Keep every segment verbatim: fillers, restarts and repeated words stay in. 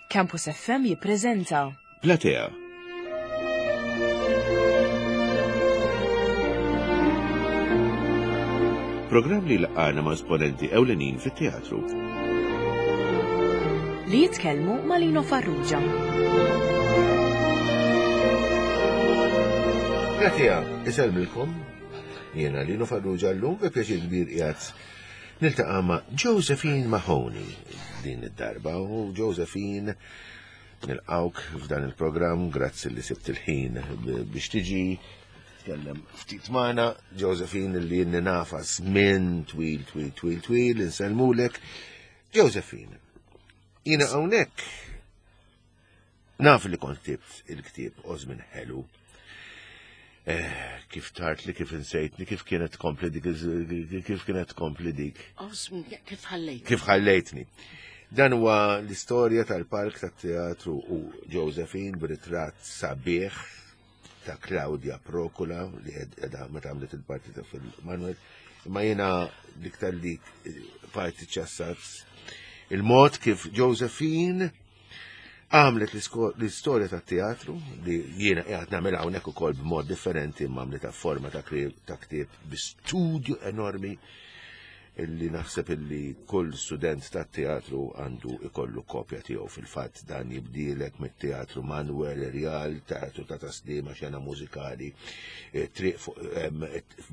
Campus F M jippreżenta Platea. Programm li laqana ma' esponenti ewlenin fit-teatru. Li jitkellmu ma' Lino Farrugia. Platea, isellmilkom. Jiena Lino Farrugia, llum bi pjaċir kbir qiegħed niltaqa' ma' Josephine Mahoney din id-darba, u Josephine, nilqawk f'dan il-programm, grazzi li sibt il-ħin biex tiġi tkellem ftit magħna. Josephine li jinni nafa żmien twil, twil, twil, twil, insellmulek. Josephine, jiena hawnhekk naf li kont ktibt il-ktieb Ożmin Ħelu. Eh, kif tart li kif insejtni, kif kienet tkompli dik, kif kienet tkompli dik? Osmin, kif ħallejt? Kif ħallejtni. Dan huwa l-istorja tal-palk tat-teatru u Josephine b'ritratt sabiħ ta' Claudia Procula li edha meta għamlet il-parti ta' fil-Manuel. Imma jiena l-iktar li parti ċassat il-mod kif Josephine għamlet l-istorja tat-teatru li jiena qiegħed nagħmel hawnhekk ukoll b'mod differenti, imma għamlet forma ta' ktieb bi studju enormi illi naħseb illi kull student tat-teatru għandu ikollu kopja tiegħu. Fil-fatt dan jibdilek mit-teatru Manuel Real, teatru ta' Taslima, xena mużikali, eh, triq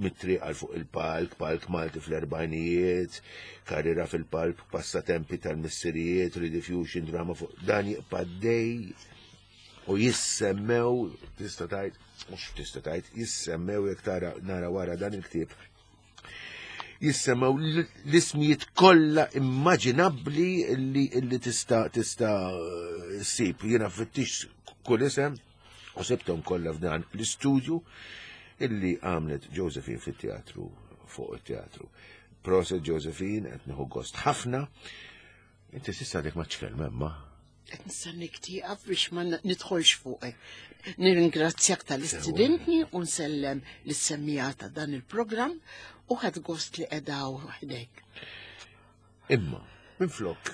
mit-triq għal fuq il-palk, palk Malti fl-erbajnijiet, karriera fil-palk, passatempi tal-missirijiet, rediffusion, drama fuq dan jibqa' dej u jissemmew, tista' tgħid, mhux tista' tgħid, jissemmew jekk tara nara wara dan il-ktieb jissemaw l-ismijiet kollha immaġinabbli li li tista' tista' ssib. Jiena fittix kull isem u sibthom kollha f'dan l-istudju illi għamlet Josephine fit-teatru, fuq it-teatru. Proset Josephine, qed nieħu gost ħafna. Inti s'issa għadek ma tkellem imma. Qed nistennik tieqaf biex ma nidħolx fuqek. Nirringrazzjak tal-istudentni u nsellem lis-semmiegħa ta' dan il-programm u ħadt gost li qedaw ħdejk. Imma, minflok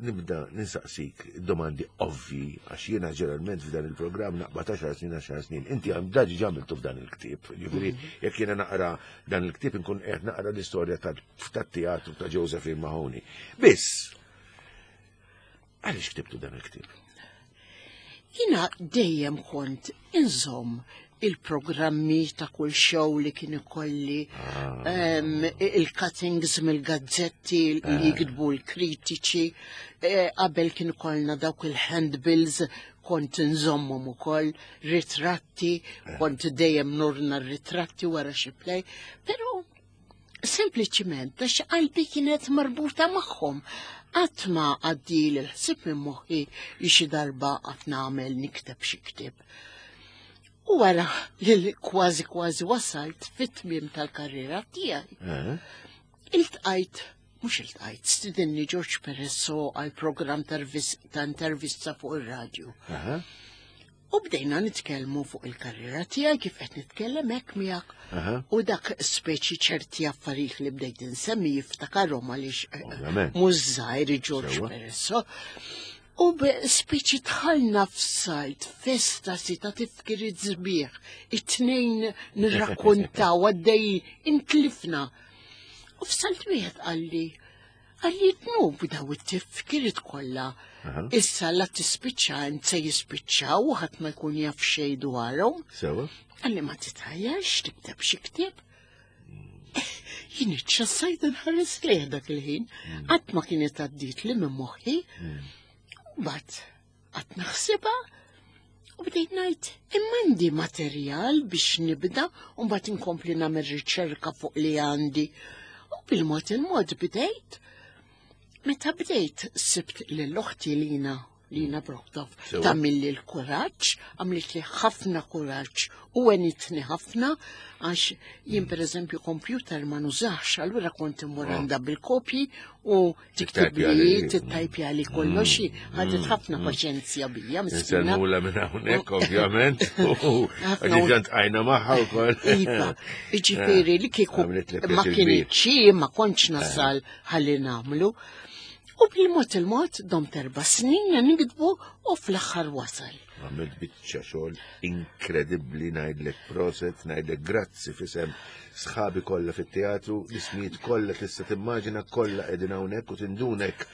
nibda ninsaqsik domandi ovvi, għax jiena ġeneralment f'dan il-programm naqbad għaxar snin, għaxar snin, inti għam daġi ġamiltu f'dan il-ktieb. Ġifieri, jekk jiena naqra dan il-ktieb nkun qed naqra l-istorja tat-teatru ta' Josephine Mahoney. Biss, għaliex ktibtu dan il-ktieb? Jiena dejjem kont inżomm il-programmi ta' kull show li kien ikolli, ah. il-cuttings mill-gazzetti li ah. jiktbu l-kritiċi, eh, qabel kien ikollna dawk il-handbills kont nżommhom ukoll, ritratti, eh. kont dejjem nurna r-ritratti wara xi play, però sempliċiment għax qalbi kienet marbuta magħhom. Qatt ma għaddi l-ħsieb minn moħħi li xi darba qatt nagħmel nikteb xi ktieb. U wara li kważi kważi wasalt fit-tmiem tal-karriera tiegħi. Eh? Iltqajt, mhux iltqajt, stidinni George Peresso għal programm ta' intervista fuq ir-radju. U bdejna nitkellmu fuq il-karriera tiegħi kif qed nitkellem hekk miegħek. U dak speċi ċerti affarijiet li bdejt insemmi jiftakarhom għaliex eh, mhux żgħir George Peresso. U speċi dħalna f'salt, f'estasi ta' tifkiriet sbieħ, it-tnejn nirrakkontaw għaddej intlifna. U f'salt wieħed qalli, qalli dnub daw it-tifkiriet kollha. Issa la tispiċċa int se jispiċċaw u ħadd ma jkun jaf xejn dwarhom. Sewa. Qalli ma titħajjarx tikteb xi ktieb. Jien iċċassajt nħares lejh dak il-ħin, mm. qatt ma kienet għaddiet li minn moħħi. Mm. Bat, qatt naħsibha u bdejt ngħid imma għandi materjal biex nibda u mbagħad inkompli nagħmel riċerka fuq li għandi. U bil-mod il-mod bdejt. Meta bdejt sibt lil oħti Lina, Lina Brockdorff, tagħmilli l-kuraġġ, għamlit li ħafna kuraġġ u għenitni ħafna, għax jien per eżempju computer ma nużax, allura kont immur ah. għandha bil-kopji u tiktib li, tittajpja li kollox, mm, ħadet mm, ħafna mm. paċenzja bija. Miskina. Nsellmula minn hawnhekk ovvjament. Għax għajna magħha wkoll. Iva, jiġifieri li kieku ma kienx ma kontx nasal ħalli nagħmlu. U bil-mod il-mod domt erba' snin nikdbu u fl-aħħar wasal. Għamilt biċċa xogħol inkredibbli, ngħidlek proset, ngħidlek grazzi f'isem sħabi kollha fit-teatru, l-ismijiet kollha tista' timmaġina kollha qegħdin hawnhekk u tindunek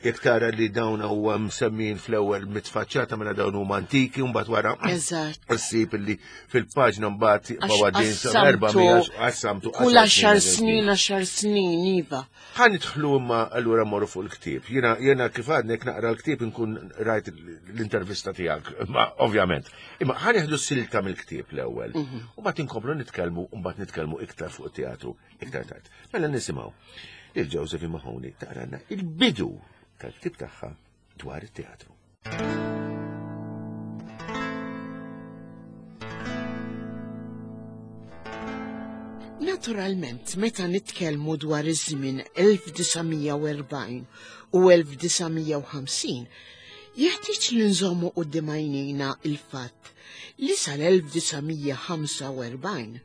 jekk tara li dawn huwa msemmin fl-ewwel mitfaċċata mela dawn huma antiki u mbagħad wara Eżatt. issib li fil-paġna mbagħad Għax jibqgħu għaddejjin sa erba' qassamtu mija qassamtu Kull għaxar għaxar snin. snin, għaxar snin, iva. Ħa nidħlu imma allura morru fuq il-ktieb. Jiena jiena kif għadnek naqra l-ktieb inkun rajt l-intervista tiegħek, imma ovvjament. Imma ħa nieħdu silta mill-ktieb l-ewwel. U mbagħad inkomplu nitkellmu u mbagħad nitkellmu iktar fuq it-teatru iktar tard. Mela nisimgħu lil Josephine Mahoney taqralna il-bidu tal-ktieb tagħha dwar it-teatru. Naturalment, meta nitkellmu dwar iż-żmien elf disa' mija u erbgħin u elf disa' mija u ħamsin, jeħtieġ li nżommu quddiem għajnejna il-fatt li sal-elf disa' mija ħamsa u erbgħin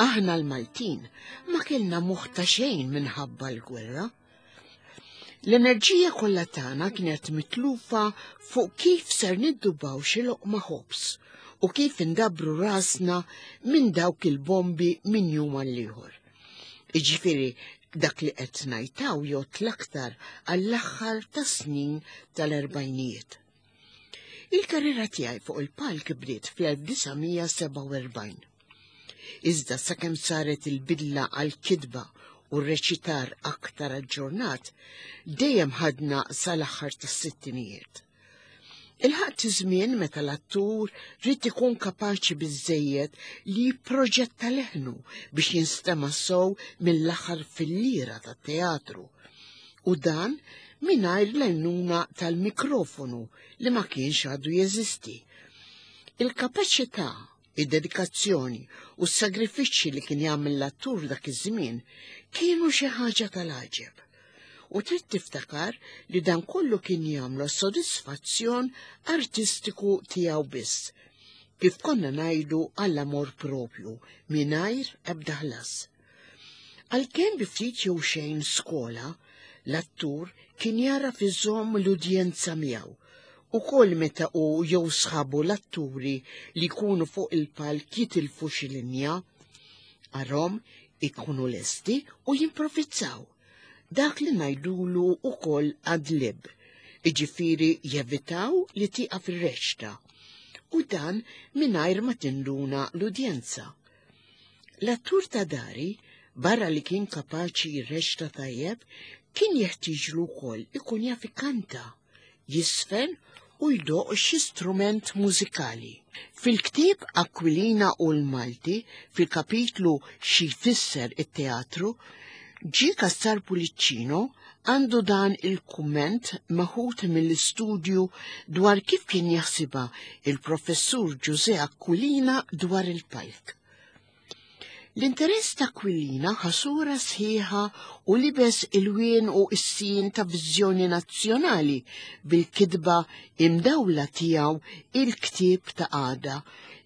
aħna l-Maltin ma kellna moħħ ta' xejn minħabba l-gwerra. L-enerġija kollha tagħna kienet mitlufa fuq kif ser niddubaw xi loqma ħobż u kif indabru rasna minn dawk il-bombi minn jum għal ieħor. Jiġifieri dak li qed ngħidtaw jgħod l-aktar għall-aħħar tas-snin tal-erbgħinijiet. Il-karriera tiegħi fuq il-palk bdiet fl-elf disa' mija sebgħa u erbgħin. Iżda sakemm saret il-bidla għall-kitba u r-reċitar aktar aġġornat, dejjem ħadna sal-aħħar tas-sittinijiet. Il-ħadd żmien meta l-attur ried ikun kapaċi biżżejjed li jipproġetta leħnu biex jinstema' sew mill-aħħar fil-lira tat-teatru. U dan mingħajr l-għajnuna tal-mikrofonu li ma kienx għadu jeżisti. Il-kapaċità, id-dedikazzjoni u s-sagrifiċċji li kien jagħmel l-attur dak iż-żmien kienu xi ħaġa tal-għaġeb. U trid tiftakar li dan kollu kien jagħmlu sodisfazzjon artistiku tiegħu biss, kif konna ngħidu għall-amor propju, mingħajr ebda ħlas. Għalkemm bi ftit jew xejn skola, l-attur kien jara iżomm l-udjenza miegħu, u kol meta u jew sħabu l-atturi li jkunu fuq il-palk jitilfu xi linja, arhom ikunu lesti u jimprovizzaw. Dak li ngħidulu wkoll ad-lib, jiġifieri jevitaw li tieqaf ir-reċta, u dan mingħajr ma tinduna l-udjenza. L-attur ta' dari, barra li kien kapaċi jirreċta tajjeb, kien jeħtieġlu wkoll ikun jaf ikanta, jisfen u jdoq xi strument mużikali. Fil-ktieb Aquilina u l-Malti, fil-kapitlu Xi jfisser it-teatru, G. Cassar Pullicino għandu dan il-kumment meħud mill-istudju dwar kif kien jaħsibha il-professur Ġużè Aquilina dwar il-palk. L-interess ta' Aquilina ħasura sħiħa u libes il-wien u s-sin ta' viżjoni nazzjonali bil-kitba imdawla tiegħu il-ktieb ta' għada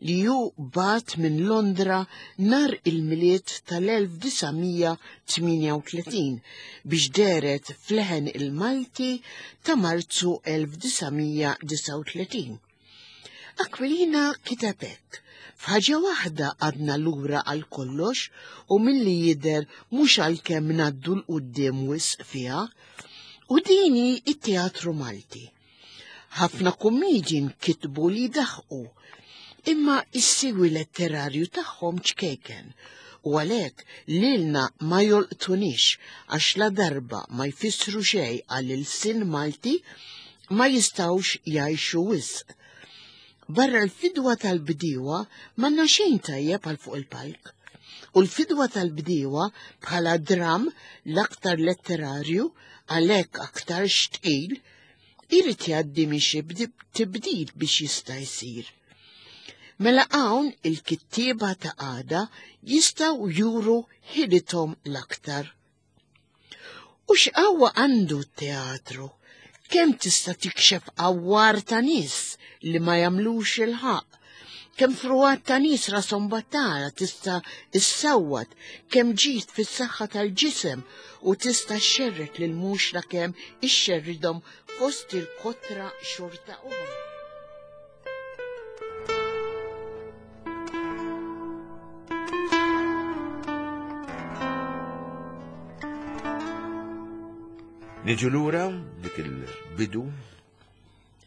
li hu bat minn Londra nar il-Milied tal-elf disa' mija tmienja u tletin biex dehret f'leħen il-Malti ta' Marzu elf disa' mija disa' u tletin. Aquilina kiteb hekk: f'ħaġa waħda għadna lura għal kollox u milli jidher mhux għalkemm ngħaddu l quddiem wisq fiha, u din hi t-teatru Malti. Ħafna kummedji nkitbu li daħqu, imma s-siwi letterarju tagħhom ċkejken, u għalhekk lilna ma jolqtunix għax la darba ma jfissru xejn għal ilsien Malti ma jistgħux jgħixu wisq. Barra l-fidwa tal-bdiewa m'għandna xejn tajjeb għal fuq il-palk. U l-fidwa tal-bdiewa bħala dram l-aktar letterarju għalhekk aktar xtqil irid jgħaddi minn xi bdi-, tibdil biex jista' jsir. Mela hawn il-kittieba ta' għada jistgħu juru ħilithom l-aktar. U x'qawwa għandu t-teatru? Kemm tista' tikxef awwar ta' nies li ma jagħmlux il-ħaqq, Kemm fruwat ta' nies rashom battala tista' issawwat, kemm ġid fis-saħħa tal-ġisem u tista' xxerred lil mhux la kemm ixxerridhom fost il-kotra xorta oħra. Niġu lura dik il-bidu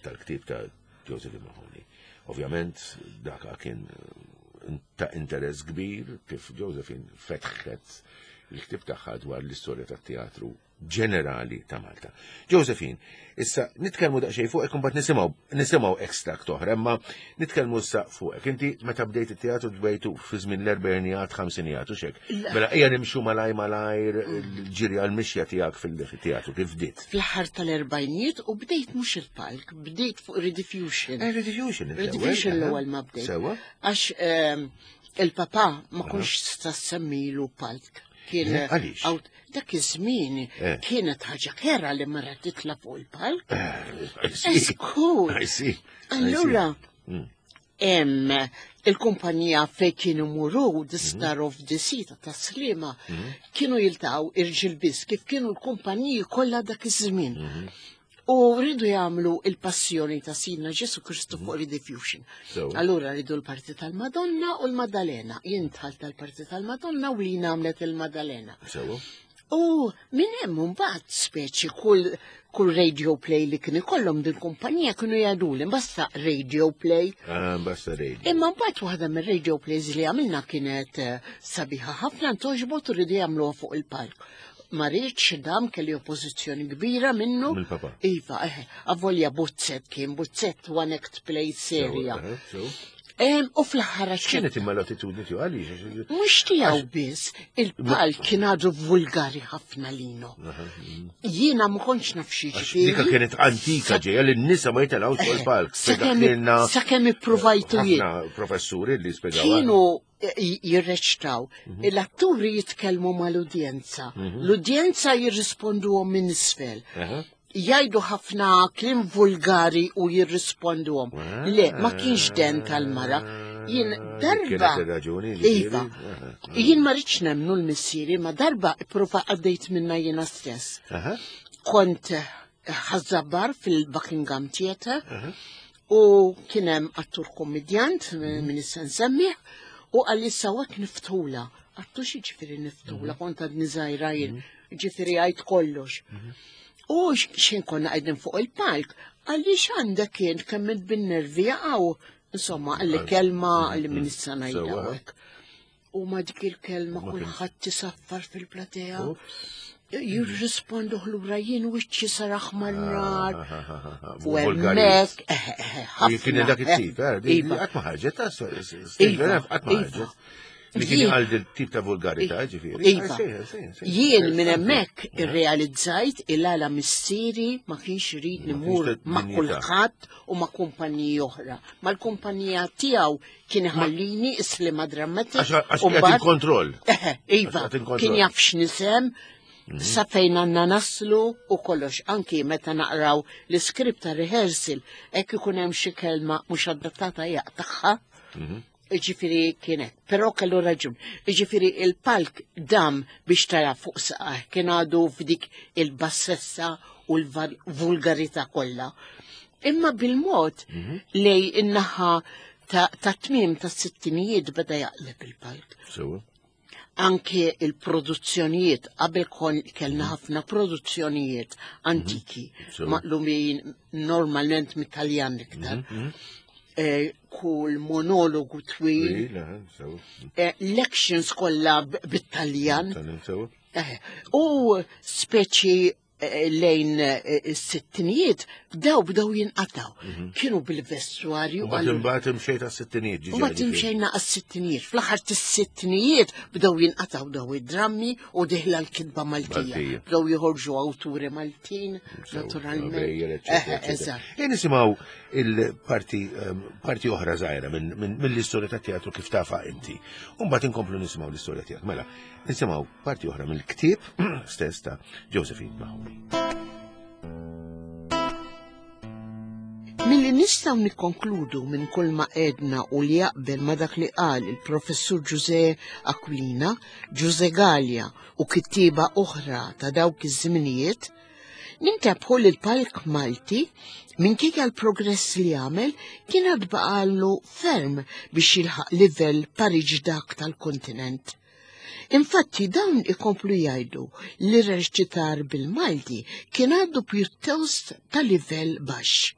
tal-ktieb ta' Josephine Mahoney. Ovvjament dak kien ta' interess kbir kif Josephine fetħet il-ktieb tagħha dwar l-istorja tat-teatru ġenerali ta' Malta. Josephine, issa nitkellmu daqsxejn fuqek imbagħad nisimgħu nisimgħu extract oħra, imma nitkellmu issa fuqek. Inti meta bdejt it-teatru bdejtu fi żmien l-erbgħinijat, ħamsinijat u xek. Mela ejja nimxu malaj malajr l-ġiri għall-mixja tiegħek fil-teatru kif bdiet. Fl-aħħar tal-erbgħinijiet u bdejt mhux il-palk, bdejt fuq Rediffusion. Eh, Rediffusion. Rediffusion l-ewwel ma bdejt. Sewa. Għax il-papà ma kontx tista' semmilu palk. Kien Għaliex? Dak iż-żmien kienet ħaġa kera li mara titla' fuq il-palk. Eskur. Allura hemm il-kumpanija fejn kienu muru The Star of the Sea ta' Sliema kienu jiltaqgħu irġiel biss kif kienu l-kumpaniji kollha dak iż-żmien. U rridu jagħmlu il-passjoni ta' Sidna Ġesu Kristu fuq Rediffusion. Allura rridu l-parti tal-Madonna u l-Maddalena. Jien dħalt tal-parti tal-Madonna u Lina għamlet il-Maddalena. U minn hemm imbagħad speċi kull kull radio play li kien ikollhom din kumpanija kienu jgħiduli basta radio play. Ah, basta radio. Imma mbagħad waħda mir-radio plays li għamilna kienet sabiħa ħafna ntoġbot u rridu jagħmluha fuq il-palk. Ma rridx dam kelli oppożizzjoni kbira minnu. Mill-papa. Iva, eh, avolja Buzzett kien Buzzett one act play serja. U fl-aħħar X'kienet imma l-attitudni tiegħu għaliex? Mhux tiegħu biss, il-palk kien għadu vulgari ħafna lino. Jiena ma kontx naf xi ġifieri. Dika kienet antika ġejja li n-nisa ma jitilgħux fuq il-palk. Sakemm ippruvajtu jien. Ħafna professuri li spjegaw. Kienu jirreċtaw. L-atturi jitkellmu mal-udjenza. L-udjenza jirrisponduhom minn isfel. Jgħidu ħafna kliem vulgari u jirrisponduhom. Le, ma kienx den tal-mara. Jien darba. Iva. Jien ma rridx nemmnu l-missieri, ma darba ipprova għaddejt minna jiena stess. Kont ħażabbar fil-Buckingham Theatre u kien hemm attur kommedjant minn issa nsemmih u għalli sawak niftula. Għattu xi ġifieri niftula, kont għadni żgħira jien, ġifieri għajt kollox. U xejn konna qegħdin fuq il-palk, għalli x'għandek kien kemm bin-nervi jaqgħu. Insomma, għalli kelma li minn issa ngħidha hekk. U ma dik il-kelma kulħadd tisaffar fil-platea. Jirrispondu lura jien wiċċi sar aħmar nar. U hemmhekk Kien dak it-tip, qatt ma ħarġet, qatt ma ħarġet. Li kien għal tip ta' vulgarità, ġifieri. Iva. Jien minn hemmhekk irrealizzajt il-għala missieri ma kienx irid nimur ma' kulħadd u ma' kumpaniji oħra. Mal-kumpanija tiegħu kien iħallini Islima Dramatic. Għax kien il-kontroll. Iva, kien jaf x'nisem, sa fejn għandna naslu u kollox. Anki meta naqraw l-iskript ta' rehearsal, hekk ikun hemm xi kelma mhux adattata jaqtagħha. Ġifieri kienet, però kellu raġun. Ġifieri il-palk dam biex tara fuq saqah, kien għadu f'dik il-bassessa u l-vulgarità kollha. Imma bil-mod lej in-naħa ta' tmiem tas-sittinijiet beda jaqleb il-palk. Anke il-produzzjonijiet, qabel kon kellna ħafna produzzjonijiet antiki, maqlumin normalment mit-Taljan iktar. Kull monologu twil, lections kollha bit-Taljan. U speċi lejn is-sittinijiet bdew bdew jinqataw. Kienu bil-vestuarju. Mbagħad imxejt għas-sittinijiet. Mbagħad imxejna għas-sittinijiet. Fl-aħħar tas-sittinijiet bdew jinqataw daw id-drammi u diħla l-kitba Maltija. Bdew joħorġu awturi Maltin, naturalment. Eżatt. Nisimgħu il-parti parti oħra żgħira mill-istorja tat-teatru kif tafa inti. U mbagħad inkomplu nisimgħu l-istorja tiegħek. Mela, nisimgħu parti oħra mill-ktieb stess ta' Josephine Mahoney. Milli nistgħu nikkonkludu minn kull ma għedna u li jaqbel ma dak li qal il-professur Ġuże Aquilina, Ġuże Gallia u kittieba oħra ta' dawk iż-żminijiet, nintebħu li l-palk Malti minkejja l-progress li għamel kien għad baqallu ferm biex jilħaq livell pariġ dak tal-kontinent. Infatti dawn ikomplu jgħidu li r-reċitar bil-Malti kien għadu pjuttost ta' livell baxx.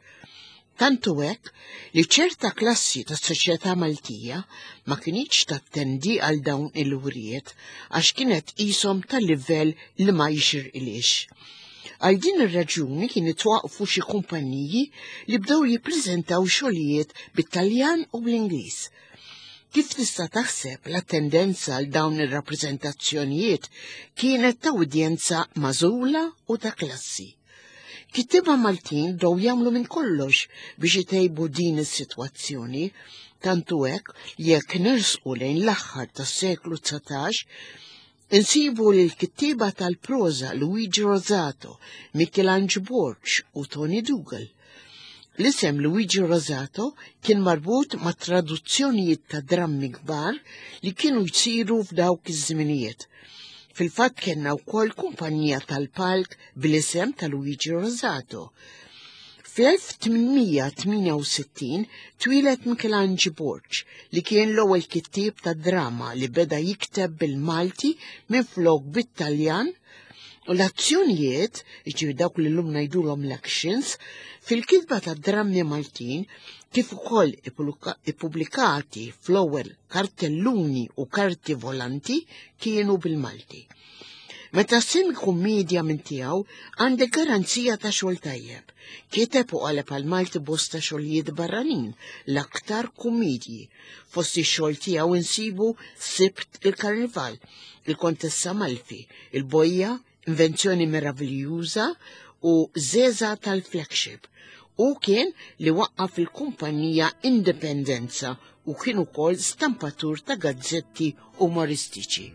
Tantu hekk li ċerta klassi tas soċjetà Maltija ma kinitx tattendi għal dawn il-wrijiet għax kienet qishom ta' livell li ma jixirqilix. Għal din ir-raġuni kien itwaqfu xi kumpaniji li bdew jippreżentaw xogħlijiet bit-Taljan u bl-Ingliż. Kif tista' taħseb, l-attendenza għal dawn ir-rappreżentazzjonijiet kienet ta' udjenza magħżula u ta' klassi. Kittieba Maltin bdew jagħmlu minn kollox biex itejbu din is-sitwazzjoni, tantu hekk jekk nersqu lejn l-aħħar tas-seklu dsatax, insibu li l-kittieba tal-proża Luigi Rosato, Michelangelo Borg u Tony Dougal. L-isem Luigi Rosato kien marbut ma' traduzzjonijiet ta' drammi kbar li kienu jsiru f'dawk iż-żminijiet. Fil-fatt kellna wkoll kumpanija tal-palk bl-isem ta' Luigi Rosato. Fl-elf tmien mija tmienja u sittin twieled Michelangelo Borg, li kien l-ewwel kittieb ta' drama li beda jikteb bil-Malti minflok bit-Taljan, u l-azzjonijiet, jiġifieri dawk li llum ngħidulhom l-actions, fil-kitba ta' drammi Maltin kif ukoll ippubblikati fl-ewwel kartelluni u karti volanti kienu bil-Malti. Meta ssemmi kummedja minn tiegħu, għandek garanzija ta' xogħol tajjeb. Kiteb u qaleb għal Malti bosta xogħlijiet barranin, l-aktar kummedji. Fost ix-xogħol tiegħu insibu Sibt il-Karnival, Il-Kontessa Malfi, Il-Bojja, Invenzjoni Meraviljuża u Zeza tal-Flagship. U kien li waqqaf il-kumpanija Indipendenza u kien ukoll stampatur ta' gazzetti umoristiċi.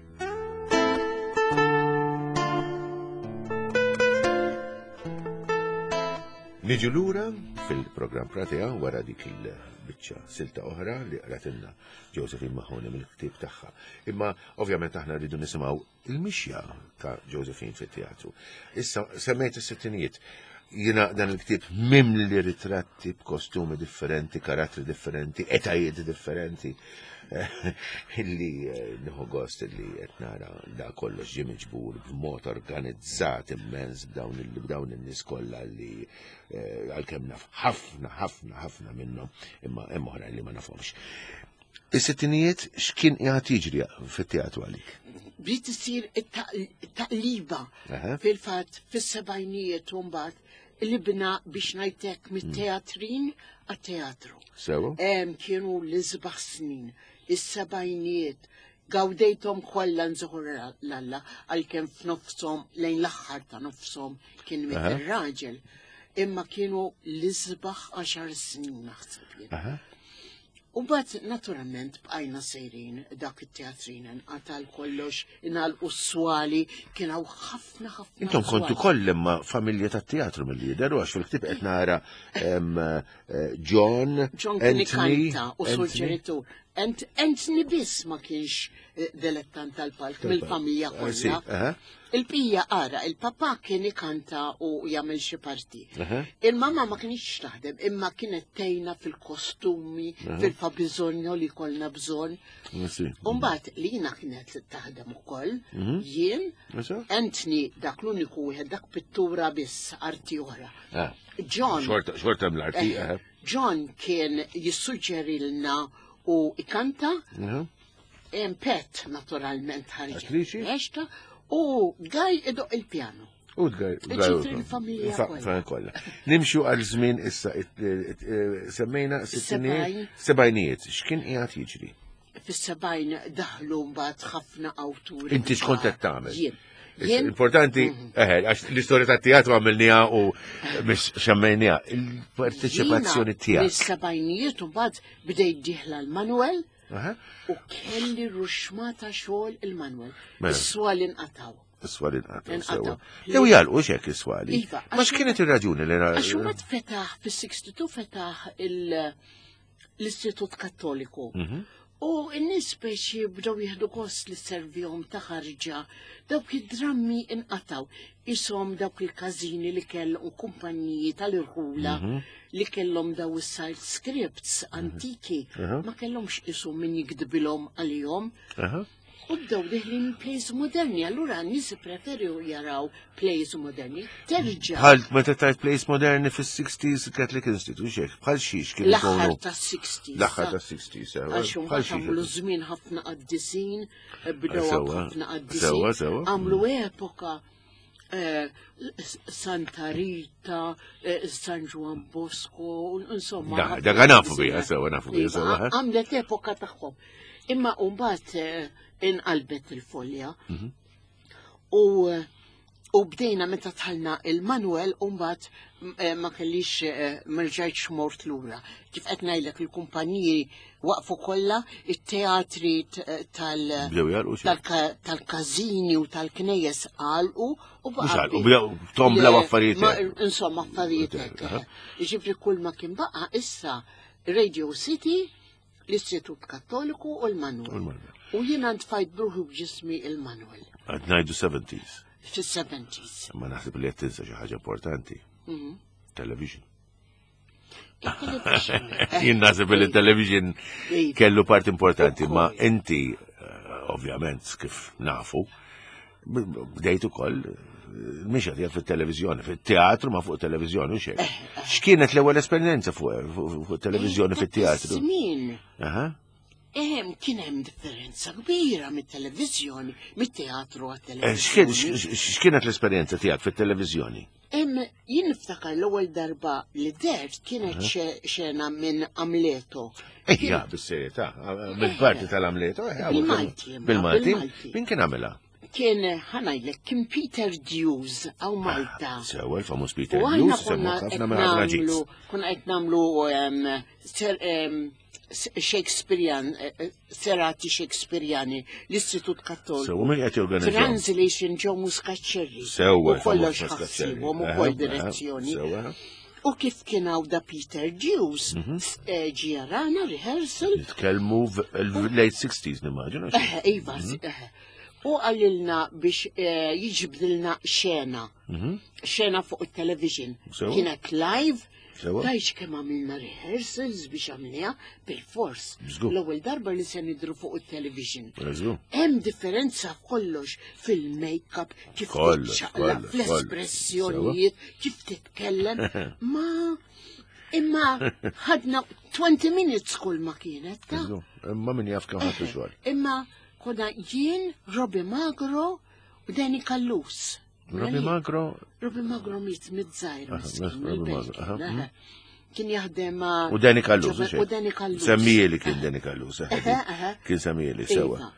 Niġu lura fil-programm Platea wara dik il-biċċa silta oħra li qratilna Josephine Mahoney mill-ktieb tagħha. Imma ovvjament aħna rridu nisimgħu il-mixja ta' Josephine fit-teatru. Issa semmejt is-sittinijiet. Jiena dan il-ktieb mimli ritratti b'kostumi differenti, karattri differenti, etajiet differenti. Illi eh, nieħu gost illi qed nara da kollox ġie miġbur b'mod organizzat immens b'dawn il- b'dawn in-nies kollha li eh, għalkemm naf ħafna ħafna ħafna minnhom, imma hemm oħra li ma nafhomx. Is-sittinijiet x'kien qiegħed jiġri fit-teatru għalik? Bdiet isir it-taqliba. Aha. Fil-fatt fis-sebgħinijiet u mbagħad qlibna, biex ngħidlek, mit-teatrin għat-teatru. Sewa? Em, kienu l-isbaħ snin, is-sebgħinijiet, gawdejthom kollha nżoħor l-Alla, għalkemm f'nofshom, lejn l-aħħar ta' nofshom kien miet Aha. ir-raġel. Imma kienu l-isbaħ għaxar snin, naħseb jien. Aha. U mbagħad naturalment bqajna sejrin, dak it-teatrin nqatal kollox, ingħalqu s-swali, kien hawn ħafna ħafna. Intom kontu swali. koll imma familja tat-teatru mill-lider, u għax fil-ktieb qed nara em, eh, John, John kien Anthony, ikanta u Anthony. suġġeritur. Ant- Anthony biss ma kienx eh, dilettant tal-palk mill-familja Ah, sì, kollha. aha. Il-pija ara, il-papà kien ikanta u jagħmel xi parti. Aha. Il-mamma ma kienx taħdem, imma kienet tgħinna fil-kostumi, fil-fabiżonju li kollna bżonn. Ah, sì. Umbagħad Lina kienet taħdem ukoll, Mhm. jien, Issa? Anthony dak l-uniku wieħed, dak pittura biss, arti oħra. Ah. John Xorta, xorta mill-arti, Eh, aha. John kien jissuġġerilna u ikanta, Aha. em Pet naturalment ħarġet. Attriċi? Eċta, u Gaj idoqq il-pjano. U tgaj. Ġifri l-familja kollha. kollha. Nimxu għal żmien issa, it- it- it- semmejna sittinijiet, Sebgħin. sebgħinijiet, x'kien qiegħed jiġri? Fis-sebgħin daħlu mbagħad ħafna awturi. Inti x'kont qed tagħmel? Jien. Jien Importanti, eħe, għax l-istorja tat-teatru għamilniha u mhix xemmejniha. Il-parteċipazzjoni jiena tiegħek. Mis-sebgħinijiet u mbagħad bdejt dieħla l-Manuel Aha. u kelli ruxmata xogħol il-Manuel. Mela. Is-swali nqataw. Is-swali nqataw Inqataw. sewa. Jew jagħlqu xek is-swali. Iva, Ma għax- x'kienet ir-raġuni li Għax mbagħad fetaħ fis-sittantu fetaħ il- l-Istitut Kattoliku. Mhm. U n-nies speċi bdew jieħdu gost li servihom ta' ħarġa, dawk id-drammi inqataw, isom dawk il-każini li kellhom kumpaniji tal-irħula Mhm. li kellhom daw is-side scripts antiki, Mhm. ma kellhomx isom min jikdbilhom għalihom. Aha. U bdew deħlin plays moderni, allura n-nies preferu jaraw plays moderni. Terġa' Bħal meta tajt plays moderni fis-sixties Catholic Institute, xek, bħal xiex kienu l-aħħar jkunu tas-sixties. L-aħħar tas-sixties, sewa. Għax Bħal mbagħad xiex. għamlu żmien ħafna qaddisin, bdew Sewa, ħafna qaddisin. sewa, sewa. Għamlu epoka eh, Santa Rita, eh, San Juan Bosco, insomma. Da, ħafna dak nafu qaddisin. biha, sewa, nafu biha, Iva, sewa, ha? Għamlet epoka tagħhom. Imma mbagħad eh, inqalbet il-folja. Mhm. U u bdejna meta tħalna il-Manuel u mbagħad eh, ma kellix eh, ma rġajtx mort lura. Kif qed ngħidlek il-kumpaniji waqfu kollha, it-teatri t- tal- Bdew jagħlqu xi? tal- tal-każini u tal-knejjes għalqu u Mhux baqa' għalqu, bi- bdew tomblaw Le, affarijiet ma- hekk. Insomma, affarijiet hekk. Aha. Ġifri kull ma kien baqa' issa Radio City, l-Istitut Kattoliku u l-Manuel. U l-Manuel. U jiena ntfajt bruħi b'ġismi il-Manuel Għad ngħidu seventies. fis-seventies. Ma naħseb li qed tinsa xi ħaġa importanti. Mhm. Television. Il-television. Jien naħseb li television Iva. kellu part importanti, Ukoll. ma inti eh, ovvjament kif nafu, b- bdejt ukoll eh, mixja tiegħek fit-televiżjoni, fit-teatru ma fuq televizjoni u xejn. X'kienet l-ewwel esperjenza fuq fuq- fuq televizjoni fit-teatru? Żmien. Aha. Ehem, kien hemm differenza kbira mit-televiżjoni, mit-teatru Eh, x'kien- għat-televiżjoni. x- X'kienet l-esperjenza tiegħek fit-televiżjoni? Em, jien niftakar l-ewwel darba li dert kienet xe- xena minn Amleto. Ejja, bis-serjetà, mill-parti tal-Amleto. eh, Bil-Malti, imma, Bil-Malti? bil-Malti. Min kien għamilha? Kien ħanajlek, kien Peter Dews għaw Malta. Sewa, il-famuż Peter U aħna Dews, konna semmu qed ħafna minn ħafna nagħmlu ġis. konna qed nagħmlu em, ser- em, S- Shakespearean, eh, eh, serati Shakespeareani, l-Istitut Kattoliku. Sewa, min qed jorganizzahom? Translation Joe Muscat-Scerri. Sewa, U kollox il-famuż Muscat-Scerri. ħassibhom Aha, ukoll aha, direzzjoni. Sewa. U kif kien hawn da Peter Dews, Mhm. s- eh, ġie rehearsal, Nitkellmu late sixties nimmaġina. eh, iva, eh, u għalilna biex eh, jiġbdilna xena, xena fuq il-television. Sewa. Kienet live, Sewa. tajx kemm għamilna rehearsals biex għamilniha bil-fors. Żgur. L-ewwel darba li se nidru fuq il-television. Żgur. Hemm differenza f'kollox fil-make-up, kif Kollox, titċaqlaq, kollox, fl-espressjonijiet, kif titkellem, ma imma ħadna twenty minutes kull ma kienet, ta' Żgur. Imma min jaf kemm ħadtu xogħol. Imma konna jien, Robbie Magro u Danny Callus. Robbie Magro Robbie Magro miet miż-żgħir. Aha, miskin, Robbie mill-belt Magro, aha, kien, mhm. aha. Kien jaħdem ma' U Danny Callus, U Danny Callus. Semmieli kien Danny Callus, eh, Aha, aha. kien semmieli, sewa. Iva.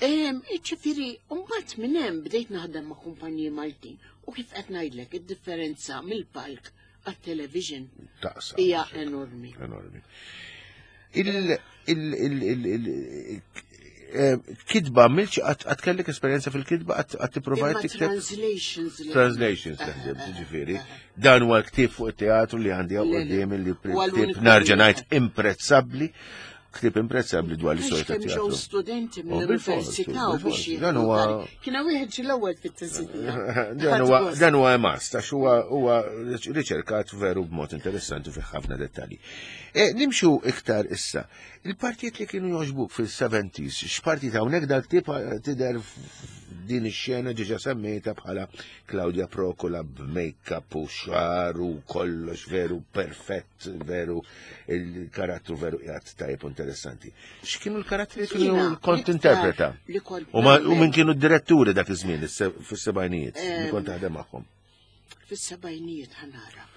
Em, Ġifieri, mbagħad minn hemm bdejt naħdem ma' kumpaniji Maltin u kif qed ngħidlek id-differenza mill-palk għat-television Taqsa. hija enormi. Enormi. Il, il, il, il, il, eh, kitba milċ għat kellek esperjenza fil-kitba għat tipprovajt Imma tikteb? translations li- Translations taħdem, ġifieri. Dan huwa ktieb fuq it-teatru li għandi hawn Le, le. quddiem li Huwa ktieb l-uniku narġa' wieħed. ngħid imprezzabbli, ktieb imprezzabbli dwar l-istorja Għax kemm ġew tat-teatru. studenti Oh, bil-fors, mill-università u biex bil-fors. jieħdu Dan huwa- tari. Kien hawn wieħed ġie l-ewwel fit-tiżidija. Dan huwa dan huwa emast, għax huwa huwa riċerkat veru b'mod interessanti fi ħafna dettalji. E, nimxu iktar issa. Il-partijiet li kienu joġbuk fil-seventies, x'partit hawnhekk dal-ktieb tidher din ix-xena ġiġa semmejta bħala Claudia Procula b'make-up u xar u kollox veru perfett, veru il-karattru veru qiegħed tajjeb u interessanti. X'kienu l-karattri li kienu Jiena, kont l-iktar interpreta? li kont U ma- u nagħmel- min kienu d-diretturi dak iż-żmien fis-sebgħinijiet li kont taħdem magħhom? Fis-sebgħinijiet ħanara.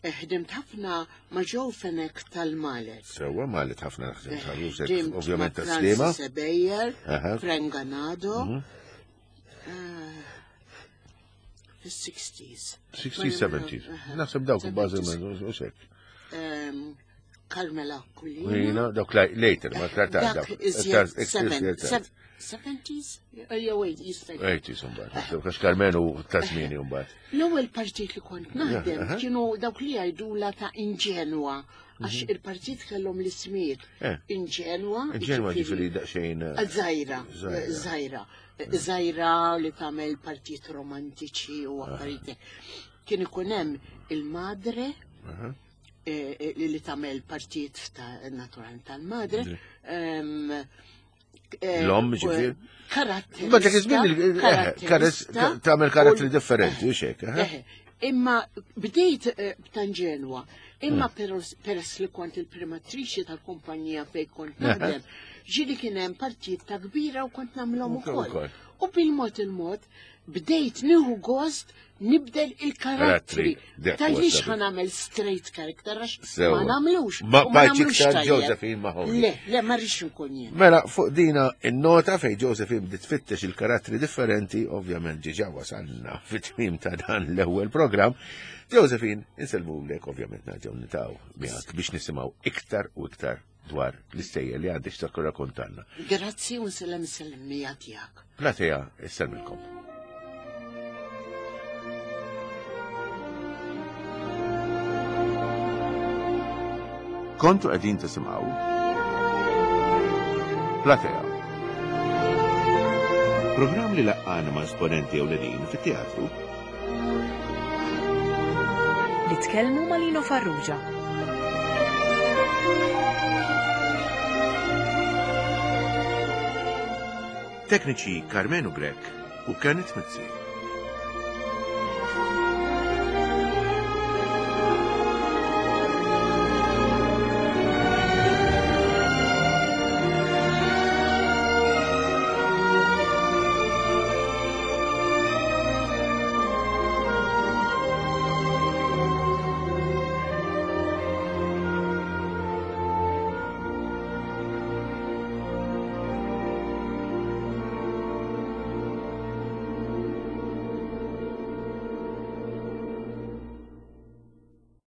Ħdimt ħafna ma' Joe Fenech tal-Malet. Sewa, Malet ħafna naħdem, Ħdimt ovvjament ma' tas-Sliema. Francis Ebejer, Aha. Frank Ganado. Mhm. Eh, Fis-sixties. Sixties, seventies. Naħseb dawk bażi u sekk. Em, Carmela Aquilina. Jina, dawk later, ma iktar tard. Dak iżjed seventies? Jew wait, jista' jkun. Eighties imbagħad, għax Karmenu ta' żmieni mbagħad. L-ewwel partit li kont naħdem kienu dawk li jgħidula ta' inġenwa, għax il-partit kellhom l-ismijiet. Inġenwa. Inġenwa ġifieri daqsxejn. Żgħira, żgħira. Żgħira li tagħmel partit romantiċi u affarijiet. Kien ikun hemm il-madre li tagħmel partit ta' naturalment tal-madre. L-om ġifieri. Karatteri. Ma dak iż-żmien tagħmel karatteri differenti u xek. Imma bdejt b'Tanġenwa, imma peress li kont il-primatriċi tal-kumpanija fejn kont naħdem, ġieli kien hemm partijiet ta' kbira u kont nagħmilhom ukoll. U bil-mod il-mod bdejt nieħu gost nibdel il-karattri. Tajlix ħa nagħmel straight character għax ma nagħmlux. Ma bajċ iktar Josephine Mahoney. Le, le, ma rridx nkun jien. Mela, fuq dina in-nota fej Josephine bdiet tfittex il-karattri differenti, ovvjament ġiġa wasalna fit-tmiem ta' dan l-ewwel programm. Josephine, insellmulek ovvjament nerġgħu nitaw miegħek biex nisimgħu iktar u iktar dwar l-istejjer li għandek x'tirrakkontalna. Grazzi u nsellem is-sellmija tiegħek. Platea, issellmilkom. Kontu qegħdin tisimgħu Platea. Programm li laqqana ma' esponenti ewlenin fit-teatru. Li tkellmu ma' Lino Farrugia. Tekniċi Karmenu Grech u Kenneth Mizzi.